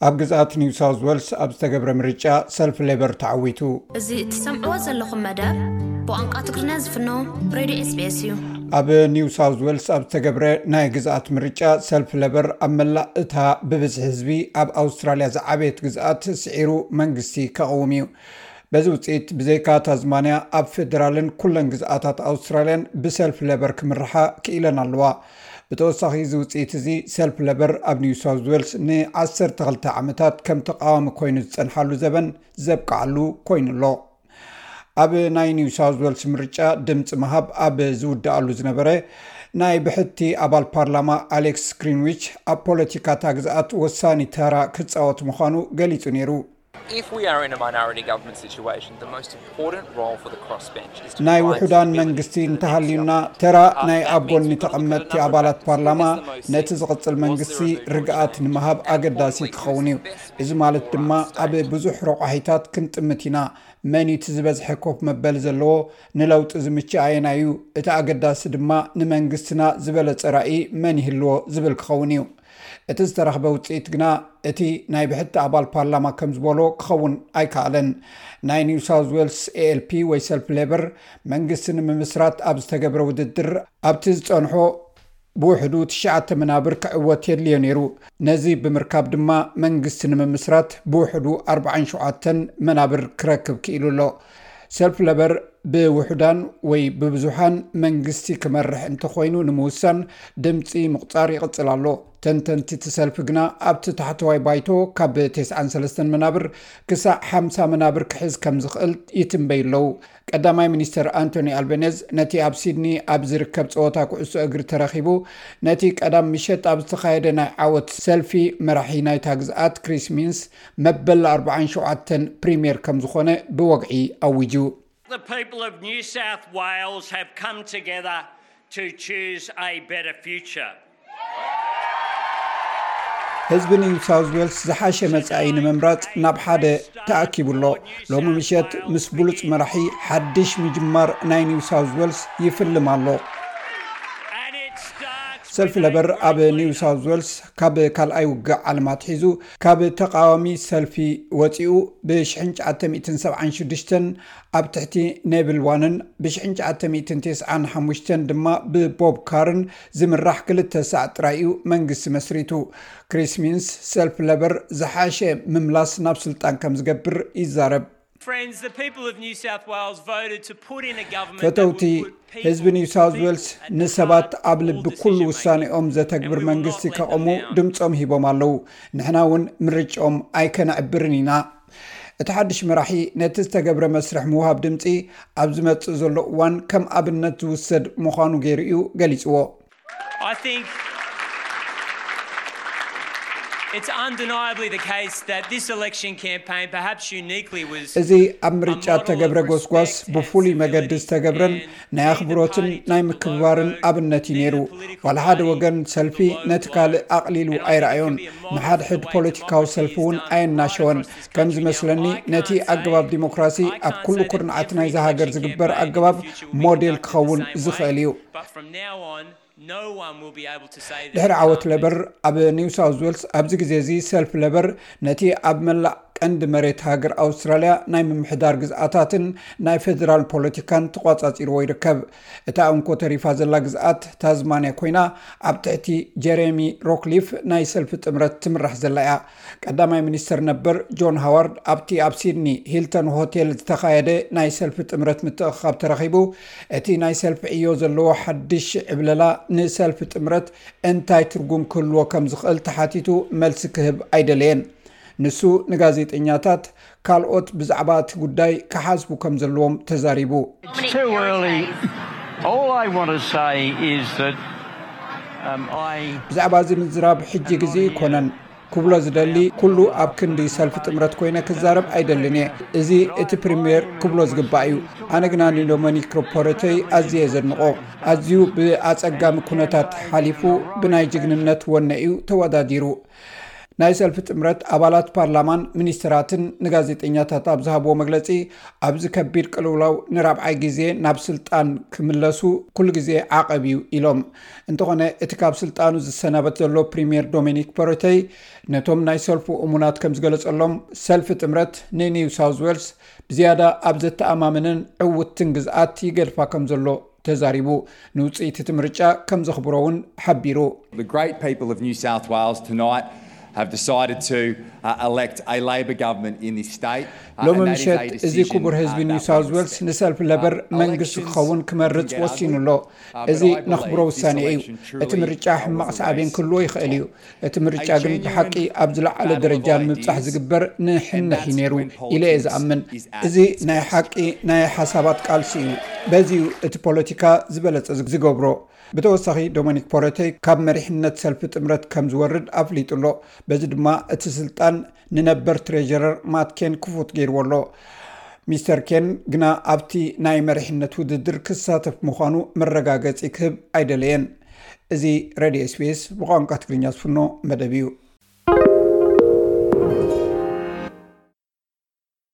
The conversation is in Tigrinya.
ኣብ ግዝኣት ኒው ሳውዝ ዌልስ ኣብ ዝተገብረ ምርጫ ሰልፊ ሌበር ተዓዊቱ። እዚ እትሰምዕዎ ዘለኹም መደብ ብቋንቋ ትግርኛ ዝፍኖ ሬድዮ ኤስቢኤስ እዩ። ኣብ ኒው ሳውዝ ዌልስ ኣብ ዝተገብረ ናይ ግዝኣት ምርጫ ሰልፊ ሌበር ኣብ መላእ እታ ብብዝሒ ህዝቢ ኣብ ኣውስትራልያ ዝዓበየት ግዝኣት ስዒሩ መንግስቲ ከቕውም እዩ። በዚ ውፅኢት ብዘይካ ታዝማንያ ኣብ ፌደራልን ኩለን ግዝኣታት ኣውስትራልያን ብሰልፊ ሌበር ክምርሓ ክኢለን ኣለዋ። ብተወሳኺ እዚ ውፅኢት እዚ ሰልፊ ሌበር ኣብ ኒው ሳውዝ ዌልስ ን12 ዓመታት ከም ተቃዋሚ ኮይኑ ዝፀንሓሉ ዘበን ዘብቅዓሉ ኮይኑ ኣሎ። ኣብ ናይ ኒው ሳውዝ ዌልስ ምርጫ ድምፂ ምሃብ ኣብ ዝውድኣሉ ዝነበረ ናይ ብሕቲ ኣባል ፓርላማ ኣሌክስ ግሪንዊች ኣብ ፖለቲካ እታ ግዝኣት ወሳኒ ተራ ክፃወት ምዃኑ ገሊፁ ነይሩ። If we are in a minority government situation, the most important role for the crossbench is to ናይ provide ውሑዳን stability መንግስቲ to the እንተሃልዩና council. ተራ Uh, ናይ that ኣብ means ጎኒ we've got to ተቐመጥቲ look at a ኣባላት number of ፓርላማ factors. Was there ነቲ a ዝቕፅል motion? መንግስቲ Was there a ርግኣት referendum? ንምሃብ And ኣገዳሲ importantly, ክኸውን እዩ። what's best እዚ ማለት for ድማ our ኣብ state? ብዙሕ ረቋሒታት ክንጥምት ኢና። መን እቲ ዝበዝሐ ኮፍ መበሊ ዘለዎ ንለውጢ ዝምችእ ኣየናይ እዩ? እቲ ኣገዳሲ ድማ ንመንግስትና ዝበለፀ ራእይ መን ይህልዎ ዝብል ክኸውን እዩ። እቲ ዝተረኽበ ውፅኢት ግና እቲ ናይ ብሕቲ ኣባል ፓርላማ ከም ዝበሎ ክኸውን ኣይከኣለን። ናይ ኒው ሳውዝ ዌልስ ኤኤልፒ ወይ ሰልፊ ሌበር መንግስቲ ንምምስራት ኣብ ዝተገብረ ውድድር ኣብቲ ዝፀንሖ ብውሕዱ ትሽዓተ መናብር ክዕወት የድልዮ ነይሩ። ነዚ ብምርካብ ድማ መንግስቲ ንምምስራት ብውሕዱ ኣርባዓን ሸውዓተን መናብር ክረክብ ክኢሉ ኣሎ። ሰልፊ ሌበር ብውሑዳን ወይ ብብዙሓን መንግስቲ ክመርሕ እንተኾይኑ ንምውሳን ድምፂ ምቑፃር ይቕፅል ኣሎ። ተንተንቲ እቲ ሰልፊ ግና ኣብቲ ታሕተዋይ ባይቶ ካብ ተስዓን ሰለስተን መናብር ክሳዕ ሓምሳ መናብር ክሕዝ ከም ዝኽእል ይትንበይ ኣለዉ። ቀዳማይ ሚኒስተር ኣንቶኒ ኣልበኔዝ ነቲ ኣብ ሲድኒ ኣብ ዝርከብ ጸወታ ኩዕሶ እግሪ ተረኺቡ ነቲ ቀዳም ምሸት ኣብ ዝተኻየደ ናይ ዓወት ሰልፊ መራሒ ናይታ ግዝኣት ክሪስ ሚንስ መበል ኣርባዓን ሸውዓተን ፕሪምየር ከም ዝኾነ ብወግዒ ኣዊጁ። The people of New South Wales have come together to choose a better future. ህዝቢ ኒው ሳውዝ ዌልስ ዝሓሸ መጻኢ ንምምራጽ ናብ ሓደ ተኣኪቡ ኣሎ። ሎሚ ምሸት ምስ ብሉጽ መራሒ ሓድሽ ምጅማር ናይ ኒው ሳውዝ ዌልስ ይፍልም ኣሎ። And it starts ሰልፊ with a ለበር ኣብ great ኒው leader. ሳውዝ ዌልስ ካብ ካልኣይ ውግእ ዓለም ኣትሒዙ ካብ ተቃዋሚ ሰልፊ ወፂኡ ብ1976 ኣብ ትሕቲ ኔቪል ዋንን ብ1995 ድማ ብቦብ ካርን ዝምራሕ ክልተ ሳዕ ጥራይ እዩ መንግስቲ መስሪቱ። ክሪስ ሚንስ ሰልፊ ለበር ዝሓሸ ምምላስ ናብ ስልጣን ከም ዝገብር ይዛረብ። Friends, the people of New South Wales voted to put in a government that would ፈተውቲ put people, ህዝቢ ኒው ሳውዝ people ዌልስ at the ንሰባት heart of ኣብ all ልቢ ኩሉ decision ውሳኔኦም making. ዘተግብር And we will መንግስቲ not let them ከቐሙ down. ድምፆም ሂቦም ኣለዉ። ንሕና እውን ምርጫኦም ኣይከነዕብርን ኢና። እቲ ሓድሽ መራሒ ነቲ ዝተገብረ መስርሕ ምውሃብ ድምፂ ኣብ ዝመፅእ ዘሎ እዋን ከም ኣብነት ዝውሰድ ምዃኑ ገይሩ እዩ ገሊፅዎ። I think it's undeniably the case that this election campaign, perhaps uniquely, was እዚ ኣብ ምርጫ እተገብረ ጎስጓስ ብፍሉይ መገዲ ዝተገብረን ናይ ኣኽብሮትን ናይ ምክብባርን ኣብነት እዩ ነይሩ። ዋላ ሓደ ወገን ሰልፊ ነቲ ካልእ ኣቕሊሉ ኣይረኣዮን። ንሓድሕድ ፖለቲካዊ ሰልፊ እውን ኣየናሸወን። ከም ዝመስለኒ ነቲ ኣገባብ ዲሞክራሲ ኣብ ኩሉ ኩርናዓት ናይዛ ሃገር ዝግበር ኣገባብ ሞዴል ክኸውን ዝኽእል እዩ። But from now on, no one will be able to say that ድሕሪ it's ዓወት not. ለበር ኣብ ኒው ሳውዝ ዌልስ ኣብዚ ግዜ እዚ ሰልፊ ለበር ነቲ ኣብ መላእ ቀንዲ መሬት ሃገር ኣውስትራልያ ናይ ምምሕዳር ግዝኣታትን ናይ ፌደራል ፖለቲካን ተቋጻጺርዎ ይርከብ። እታ እንኮ ተሪፋ ዘላ ግዝኣት ታዝማንያ ኮይና ኣብ ትሕቲ ጀሬሚ ሮክሊፍ ናይ ሰልፊ ጥምረት ትምራሕ ዘላ እያ። ቀዳማይ ሚኒስተር ነበር ጆን ሃዋርድ ኣብቲ ኣብ ሲድኒ ሂልተን ሆቴል ዝተኻየደ ናይ ሰልፊ ጥምረት ምትእኽኻብ ተረኺቡ እቲ ናይ ሰልፊ ዕዮ ዘለዎ ሓድሽ ዕብለላ ንሰልፊ ጥምረት እንታይ ትርጉም ክህልዎ ከም ዝኽእል ተሓቲቱ መልሲ ክህብ ኣይደለየን። ንሱ ንጋዜጠኛታት ካልኦት ብዛዕባ እቲ ጉዳይ ክሓስቡ ከም ዘለዎም ተዛሪቡ። It's too early. All I want to say is that um, I ብዛዕባ እዚ ምዝራብ ሕጂ ግዜ ኣይኮነን። ክብሎ ዝደሊ ኩሉ ኣብ ክንዲ ሰልፊ ጥምረት ኮይነ ክዛረብ ኣይደልን እየ። እዚ እቲ ፕሪምየር ክብሎ ዝግባእ እዩ። ኣነ ግና ንዶሚኒክ ሮፖረተይ ኣዝየ ዘድንቖ። ኣዝዩ ብኣጸጋሚ ኩነታት ሓሊፉ ብናይ ጅግንነት ወነ እዩ ተወዳዲሩ። ናይ ሰልፊ ጥምረት ኣባላት ፓርላማን ሚኒስትራትን ንጋዜጠኛታት ኣብ ዝሃብዎ መግለጺ፣ ኣብዚ ከቢድ ቅልውላው ንራብዓይ ግዜ ናብ ስልጣን ክምለሱ ኩሉ ግዜ ዓቐብ እዩ ኢሎም። እንተኾነ እቲ ካብ ስልጣኑ ዝሰናበት ዘሎ ፕሪምየር ዶሚኒክ ፖረተይ ነቶም ናይ ሰልፉ እሙናት ከም ዝገለጸሎም፣ ሰልፊ ጥምረት ንኒው ሳውዝ ዌልስ ብዝያዳ ኣብ ዘተኣማምንን ዕውትን ግዝኣት ይገድፋ ከም ዘሎ ተዛሪቡ። ንውፅኢት እቲ ምርጫ ከም ዘኽብሮ እውን ሓቢሩ። The great people of New South Wales tonight have decided to uh, elect a Labor government in this state. ሎሚ ምሸት እዚ ክቡር ህዝቢ ኒው ሳውዝ ዌልስ ንሰልፊ ለበር መንግስቲ ክኸውን ክመርፅ ወሲኑ ኣሎ። እዚ ነኽብሮ ውሳኔ እዩ። እቲ ምርጫ ሕማቕ ሳዕቤን ክህልዎ ይኽእል እዩ። እቲ ምርጫ ግን ብሓቂ ኣብ ዝለዓለ ደረጃ ንምብጻሕ ዝግበር ንሕንሕ እዩ ነይሩ ኢለ እየ ዝኣምን። እዚ ናይ ሓቂ ናይ ሓሳባት ቃልሲ እዩ። በዚ እዩ እቲ ፖለቲካ ዝበለጸ ዝገብሮ። ብተወሳኺ ዶሚኒክ ፖረተይ ካብ መሪሕነት ሰልፊ ጥምረት ከም ዝወርድ ኣፍሊጡ ኣሎ። በዚ ድማ እቲ ስልጣን ንነበር ትሬጀረር ማት ኬን ክፉት ገይርዎ ኣሎ። ሚስተር ኬን ግና ኣብቲ ናይ መሪሕነት ውድድር ክሳተፍ ምዃኑ መረጋገጺ ክህብ ኣይደለየን። እዚ ሬድዮ ኤስቢኤስ ብቋንቋ ትግርኛ ዝፍኖ መደብ እዩ።